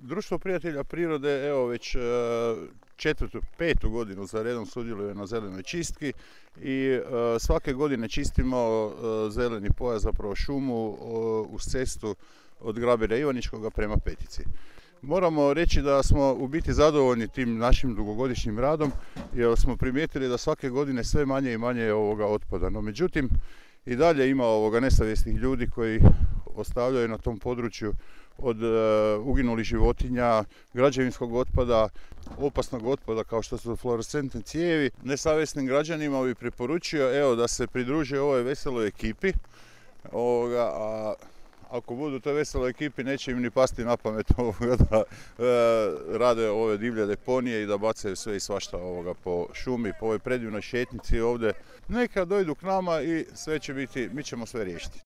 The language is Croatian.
Društvo prijatelja prirode, evo već četvrtu, petu godinu za redom sudjeluje na zelenoj čistki i svake godine čistimo zeleni pojas, zapravo šumu uz cestu od Grabira Ivaničkoga prema Petici. Moramo reći da smo u biti zadovoljni tim našim dugogodišnjim radom jer smo primijetili da svake godine sve manje i manje otpada. No međutim, i dalje ima nesavjesnih ljudi koji ostavljaju na tom području od uginulih životinja, građevinskog otpada, opasnog otpada kao što su fluorescentne cijevi. Nesavjesnim građanima bih preporučio da se pridruže ovoj veseloj ekipi, a ako budu u toj veseloj ekipi neće im ni pasti na pamet da rade ove divlje deponije i da bacaju sve i svašta po šumi, po ovoj predivnoj šetnici ovdje. Neka dojdu k nama i sve će biti, mi ćemo sve riješiti.